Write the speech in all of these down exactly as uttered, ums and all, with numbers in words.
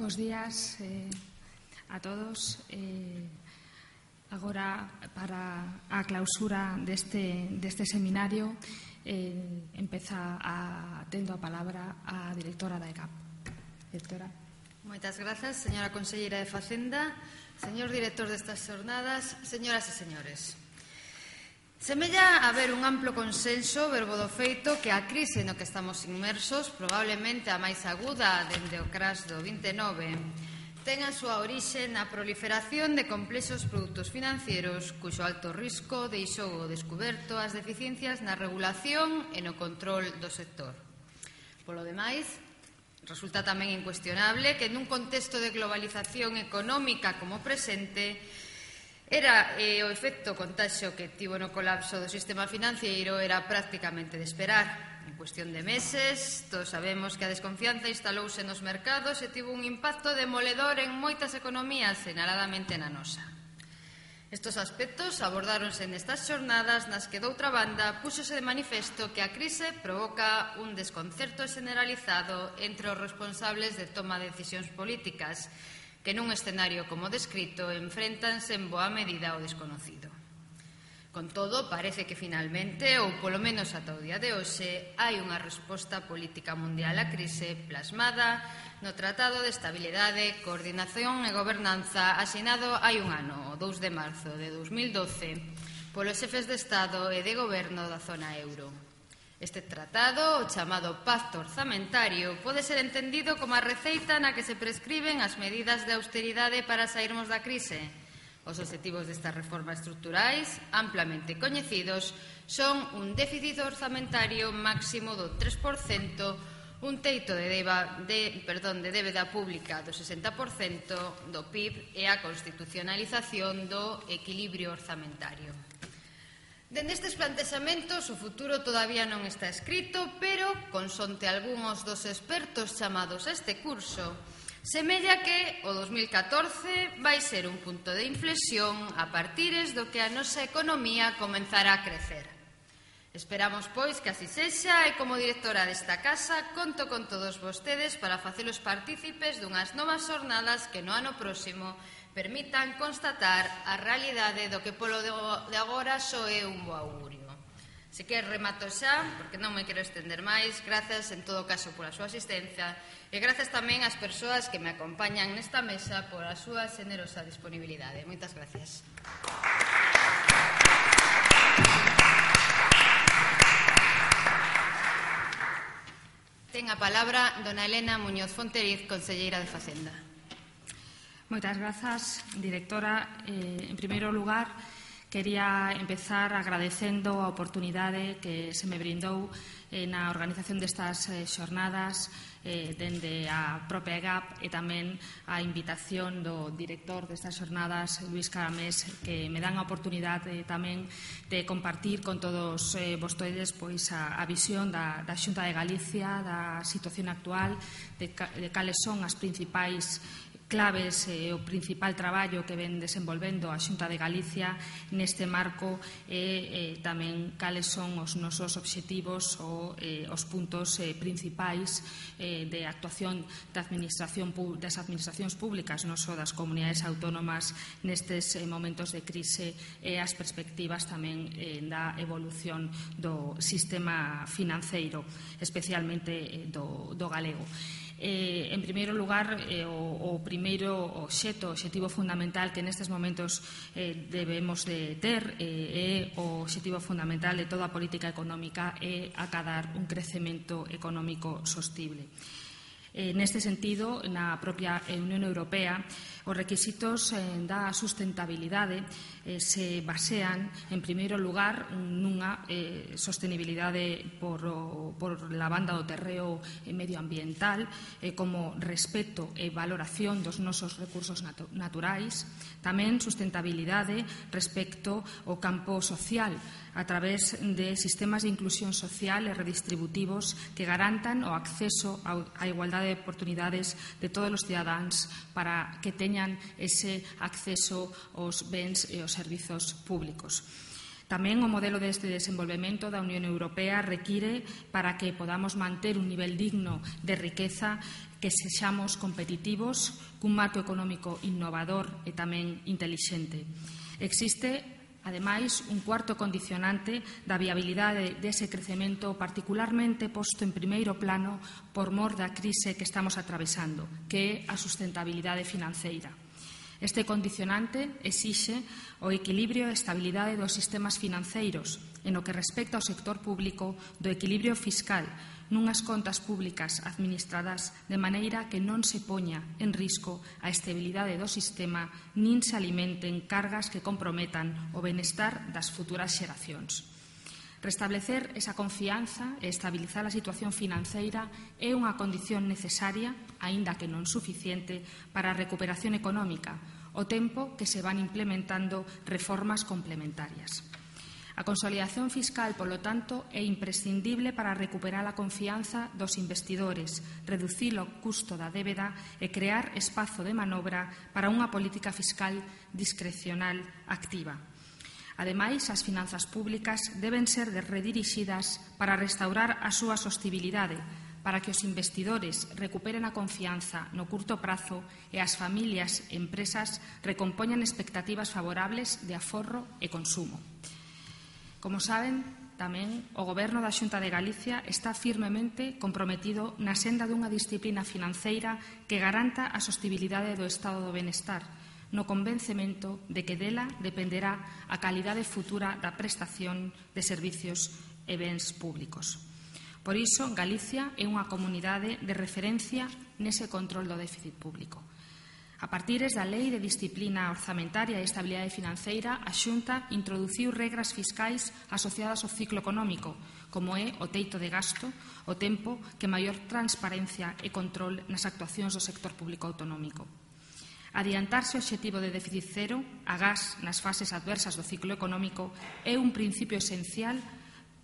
Bos días eh, a todos. Eh, agora, para a clausura deste, deste seminario, eh, empeza a, tendo a palabra a directora da E C A P. Directora. Moitas grazas, señora conselleira de Facenda, señor director destas xornadas, señoras e señores. Semella haber un amplo consenso verbo do feito que a crise no que estamos inmersos, probablemente a máis aguda dende o crash do vinte e nove, ten a súa orixe na proliferación de complexos produtos financieros cuxo alto risco deixou ao descuberto as deficiencias na regulación e no control do sector. Polo demais, resulta tamén incuestionable que nun contexto de globalización económica como presente, era eh, o efecto contaxio que tivo no colapso do sistema financiero era prácticamente de esperar. En cuestión de meses, todos sabemos que a desconfianza instalouse nos mercados e tivo un impacto demoledor en moitas economías, señaladamente na nosa. Estos aspectos abordáronse nestas xornadas nas que, doutra banda, púxose de manifesto que a crise provoca un desconcerto generalizado entre os responsables de toma de decisións políticas, que nun escenario como descrito enfréntanse en boa medida ao desconocido. Con todo, parece que finalmente, ou polo menos ata o día de hoxe, hai unha resposta política mundial á crise plasmada no Tratado de Estabilidade, Coordinación e Gobernanza asinado hai un ano, o dous de marzo de dous mil doce, polos xefes de Estado e de Goberno da zona euro. Este tratado, o chamado Pacto Orzamentario, pode ser entendido como a receita na que se prescriben as medidas de austeridade para sairmos da crise. Os obxectivos destas reformas estruturais, amplamente coñecidos, son un déficit orzamentario máximo do tres por cento, un teito de, deba, de, perdón, de débeda pública do sesenta por cento do P I B e a constitucionalización do equilibrio orzamentario. Dende estes plantexamentos, o futuro todavía non está escrito, pero, consonte algúns dos expertos chamados a este curso, semella que o dos mil catorce vai ser un punto de inflexión a partires do que a nosa economía comenzará a crecer. Esperamos, pois, que así sexa e, como directora desta casa, conto con todos vostedes para facelos partícipes dunhas novas xornadas que no ano próximo permitan constatar a realidade do que polo de agora só é un bo augurio. Se que remato xa, porque non me quero estender máis, grazas en todo caso pola súa asistencia e grazas tamén ás persoas que me acompañan nesta mesa pola súa xenerosa disponibilidade. Moitas gracias. Ten a palabra dona Elena Muñoz Fonteriz, conselleira de Facenda. Moitas grazas, directora. Eh, en primeiro lugar, quería empezar agradecendo a oportunidade que se me brindou eh, na organización destas eh, xornadas eh, dende a propia E G A P e tamén a invitación do director destas xornadas, Luís Caramés, que me dan a oportunidade tamén de compartir con todos eh, vostedes pois, a, a visión da, da Xunta de Galicia, da situación actual, de, de cales son as principais claves e eh, o principal traballo que ven desenvolvendo a Xunta de Galicia neste marco e eh, tamén cales son os nosos obxectivos ou eh, os puntos eh, principais eh, de actuación da administración, das administracións públicas, non só das comunidades autónomas nestes eh, momentos de crise e as perspectivas tamén eh, da evolución do sistema financeiro, especialmente eh, do, do galego. Eh, en primeiro lugar, eh, o, o primeiro obxecto, obxectivo fundamental que nestes momentos eh, debemos de ter eh, é o obxectivo fundamental de toda a política económica é acadar un crecemento económico sostible. Eh, neste sentido, na propia Unión Europea, os requisitos eh, da sustentabilidade eh, se basean, en primeiro lugar, nunha eh, sostenibilidade por, o, por la banda do terreo eh, medioambiental, eh, como respeto e valoración dos nosos recursos natu naturais, tamén sustentabilidade respecto ao campo social, a través de sistemas de inclusión social e redistributivos que garantan o acceso á igualdade de oportunidades de todos os cidadáns para que teñan ese acceso aos bens e aos servizos públicos. Tamén o modelo deste desenvolvemento da Unión Europea require, para que podamos manter un nivel digno de riqueza, que sexamos competitivos cun marco económico innovador e tamén intelixente. Existe, ademais, un cuarto condicionante da viabilidade dese crecemento particularmente posto en primeiro plano por mor da crise que estamos atravesando, que é a sustentabilidade financeira. Este condicionante exixe o equilibrio e estabilidade dos sistemas financeiros en o que respecta ao sector público do equilibrio fiscal nunhas contas públicas administradas de maneira que non se poña en risco a estabilidade do sistema nin se alimenten cargas que comprometan o benestar das futuras xeracións. Restablecer esa confianza e estabilizar a situación financeira é unha condición necesaria, aínda que non suficiente, para a recuperación económica, ao tempo que se van implementando reformas complementarias. A consolidación fiscal, polo tanto, é imprescindible para recuperar a confianza dos investidores, reducir o custo da débeda e crear espazo de manobra para unha política fiscal discrecional activa. Ademais, as finanzas públicas deben ser redirixidas para restaurar a súa sostibilidade, para que os investidores recuperen a confianza no curto prazo e as familias e empresas recompoñan expectativas favorables de aforro e consumo. Como saben, tamén o Goberno da Xunta de Galicia está firmemente comprometido na senda dunha disciplina financeira que garanta a sostibilidade do estado do benestar, no convencemento de que dela dependerá a calidade futura da prestación de servicios e bens públicos. Por iso, Galicia é unha comunidade de referencia nese control do déficit público. A partires da Lei de Disciplina Orzamentaria e Estabilidade Financeira, a Xunta introduciu regras fiscais asociadas ao ciclo económico, como é o teito de gasto, o tempo que maior transparencia e control nas actuacións do sector público autonómico. Adiantarse o obxectivo de déficit cero, agás nas fases adversas do ciclo económico, é un principio esencial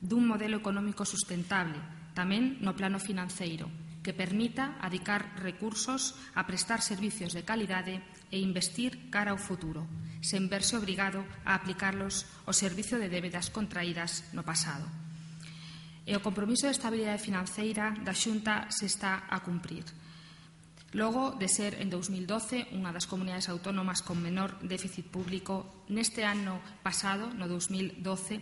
dun modelo económico sustentable, tamén no plano financeiro, que permita adicar recursos a prestar servicios de calidade e investir cara ao futuro, sen verse obrigado a aplicarlos ao servizo de débedas contraídas no pasado. E o compromiso de estabilidade financeira da Xunta se está a cumprir. Logo de ser en dous mil doce unha das comunidades autónomas con menor déficit público, neste ano pasado, no dous mil doce,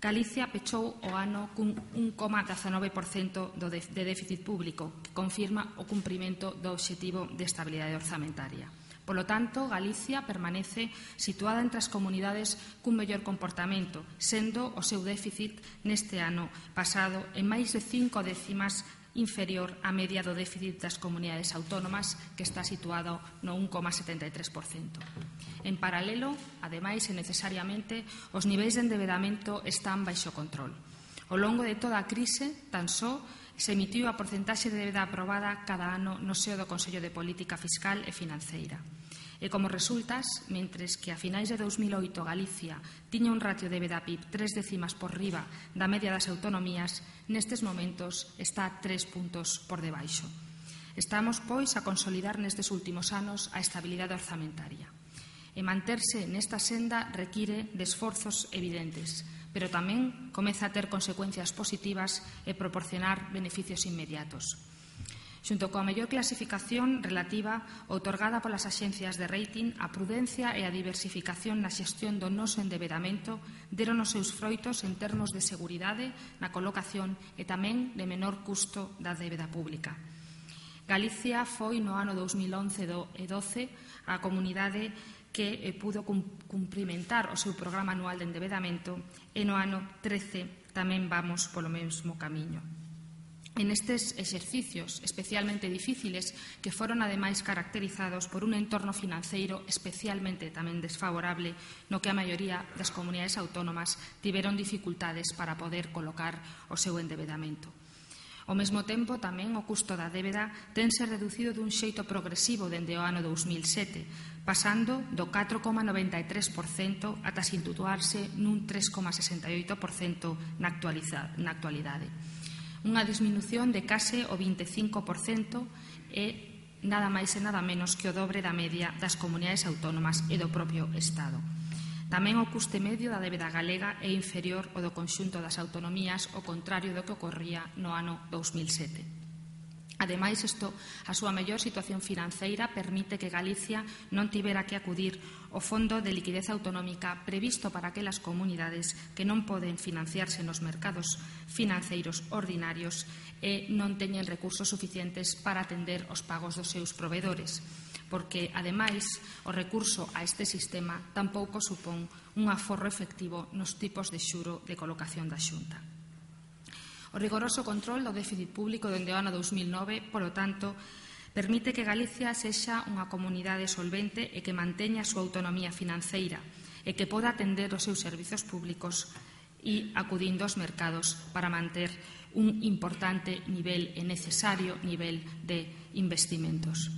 Galicia pechou o ano cun un coma dezanove por cento de déficit público, que confirma o cumprimento do obxectivo de estabilidade orzamentaria. Polo tanto, Galicia permanece situada entre as comunidades cun mellor comportamento, sendo o seu déficit neste ano pasado en máis de cinco décimas inferior á media do déficit das comunidades autónomas, que está situado no un coma setenta e tres por cento. En paralelo, ademais e necesariamente, os niveis de endebedamento están baixo control. Ao longo de toda a crise, tan só se emitiu a porcentaxe de débeda aprobada cada ano no seo do Consello de Política Fiscal e Financeira. E como resultas, mentres que a finais de dous mil oito Galicia tiña un ratio de débeda P I B tres décimas por riba da media das autonomías, nestes momentos está tres puntos por debaixo. Estamos, pois, a consolidar nestes últimos anos a estabilidade orzamentaria. E manterse nesta senda require de esforzos evidentes, pero tamén comeza a ter consecuencias positivas e proporcionar beneficios inmediatos. Xunto coa mellor clasificación relativa outorgada polas axencias de rating, a prudencia e a diversificación na xestión do noso endebedamento deron os seus froitos en termos de seguridade na colocación e tamén de menor custo da débeda pública. Galicia foi no ano dous mil once e doce a comunidade que pudo cumprimentar o seu programa anual de endebedamento e no ano trece tamén vamos polo mesmo camiño. En estes exercicios especialmente difíciles, que foron ademais caracterizados por un entorno financeiro especialmente tamén desfavorable, no que a maioría das comunidades autónomas tiveron dificultades para poder colocar o seu endebedamento. Ao mesmo tempo, tamén o custo da débeda tense reducido dun xeito progresivo dende o ano dous mil sete, pasando do catro coma noventa e tres por cento ata situarse nun tres coma sesenta e oito por cento na actualidade. Unha disminución de case o vinte e cinco por cento e nada máis e nada menos que o dobre da media das comunidades autónomas e do propio Estado. Tamén o custe medio da débeda galega é inferior ao do conxunto das autonomías, ao contrario do que ocorría no ano dous mil sete. Ademais, isto, a súa mellor situación financeira permite que Galicia non tivera que acudir ao Fondo de Liquidez Autonómica previsto para aquelas comunidades que non poden financiarse nos mercados financeiros ordinarios e non teñen recursos suficientes para atender os pagos dos seus provedores, porque, ademais, o recurso a este sistema tampouco supón un aforro efectivo nos tipos de xuro de colocación da Xunta. O rigoroso control do déficit público dende o ano dous mil nove, polo tanto, permite que Galicia sexa unha comunidade solvente e que manteña a súa autonomía financeira e que poda atender os seus servizos públicos e acudindo aos mercados para manter un importante nivel e necesario nivel de investimentos.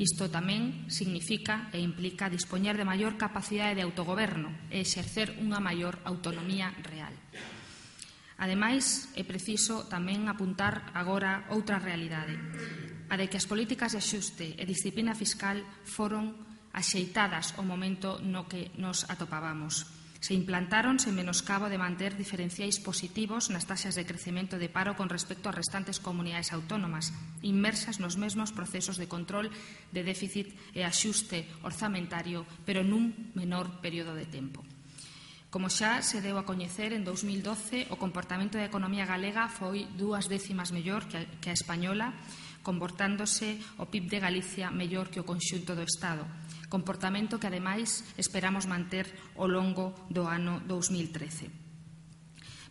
Isto tamén significa e implica dispoñer de maior capacidade de autogoberno e exercer unha maior autonomía real. Ademais, é preciso tamén apuntar agora outra realidade, a de que as políticas de axuste e disciplina fiscal foron axeitadas ao momento no que nos atopábamos. Se implantaron sen menoscabo de manter diferenciais positivos nas taxas de crecemento de paro con respecto ás restantes comunidades autónomas, inmersas nos mesmos procesos de control de déficit e axuste orzamentario, pero nun menor período de tempo. Como xa se deu a coñecer, en dous mil doce o comportamento da economía galega foi dúas décimas mellor que a española, comportándose o P I B de Galicia mellor que o conxunto do Estado, comportamento que, ademais, esperamos manter ao longo do ano dous mil trece.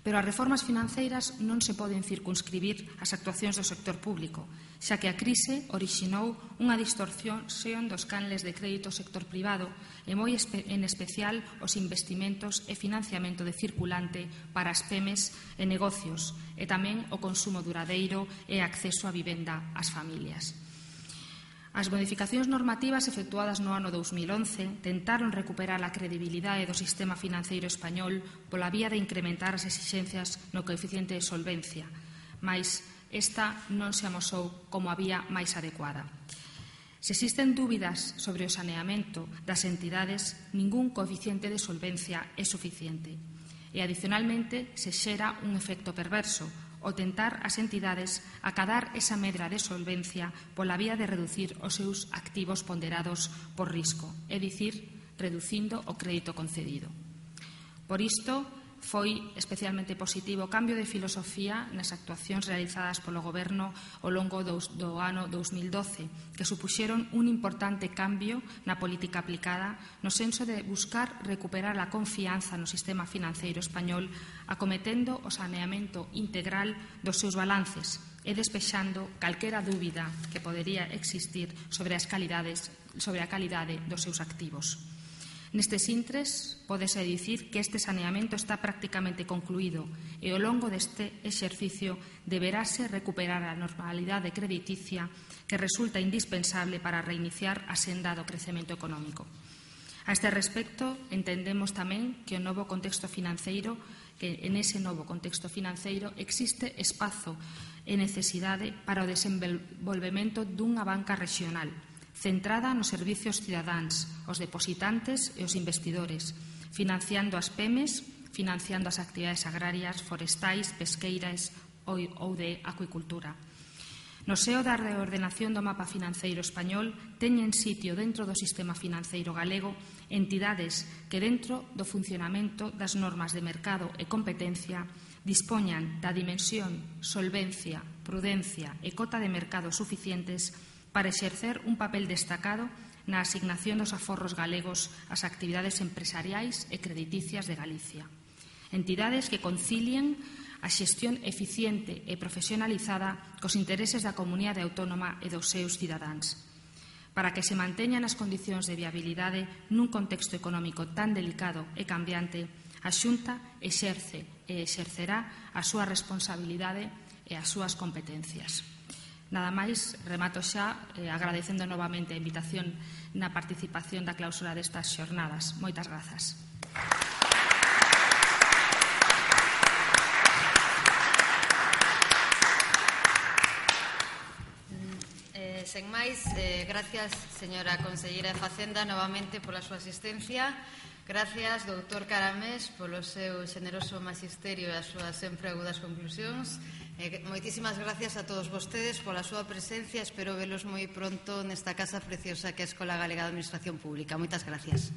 Pero as reformas financeiras non se poden circunscribir ás actuacións do sector público, xa que a crise orixinou unha distorsión dos canles de crédito ao sector privado e moi en especial os investimentos e financiamento de circulante para as pemes e negocios e tamén o consumo duradeiro e acceso á vivenda ás familias. As modificacións normativas efectuadas no ano dous mil once tentaron recuperar a credibilidade do sistema financeiro español pola vía de incrementar as exixencias no coeficiente de solvencia, mais esta non se amosou como a vía máis adecuada. Se existen dúbidas sobre o saneamento das entidades, ningún coeficiente de solvencia é suficiente. E, adicionalmente, se xera un efecto perverso, o tentar as entidades acadar esa medra de solvencia pola vía de reducir os seus activos ponderados por risco, é dicir, reducindo o crédito concedido. Por isto, foi especialmente positivo o cambio de filosofía nas actuacións realizadas polo Goberno ao longo do ano dous mil doce, que supuxeron un importante cambio na política aplicada no senso de buscar recuperar a confianza no sistema financeiro español, acometendo o saneamento integral dos seus balances e despexando calquera dúbida que podería existir sobre as calidades, sobre a calidade dos seus activos. Nestes intres, pódese dicir que este saneamento está prácticamente concluído e ao longo deste exercicio deberase recuperar a normalidade crediticia que resulta indispensable para reiniciar a senda do crecemento económico. A este respecto, entendemos tamén que o novo contexto financeiro, que en ese novo contexto financeiro existe espazo e necesidade para o desenvolvemento dunha banca regional, centrada nos servicios cidadáns, os depositantes e os investidores, financiando as pemes, financiando as actividades agrarias, forestais, pesqueiras ou de acuicultura. No seo da reordenación do mapa financeiro español teñen sitio dentro do sistema financeiro galego entidades que dentro do funcionamento das normas de mercado e competencia dispoñan da dimensión, solvencia, prudencia e cota de mercado suficientes para exercer un papel destacado na asignación dos aforros galegos ás actividades empresariais e crediticias de Galicia. Entidades que concilien a xestión eficiente e profesionalizada cos intereses da comunidade autónoma e dos seus cidadáns, para que se manteñan as condicións de viabilidade nun contexto económico tan delicado e cambiante. A Xunta exerce e exercerá a súa responsabilidade e as súas competencias. Nada máis, remato xa eh, agradecendo novamente a invitación na participación da clausura destas xornadas. Moitas grazas. Eh, Eh, sen máis, eh, gracias, señora conselleira de Facenda, novamente pola súa asistencia. Gracias, doutor Caramés, polo seu xeneroso magisterio e as súas sempre agudas conclusións. Eh, moitísimas gracias a todos vostedes pola súa presencia. Espero velos moi pronto nesta casa preciosa que é a Escola Galega de Administración Pública. Moitas gracias.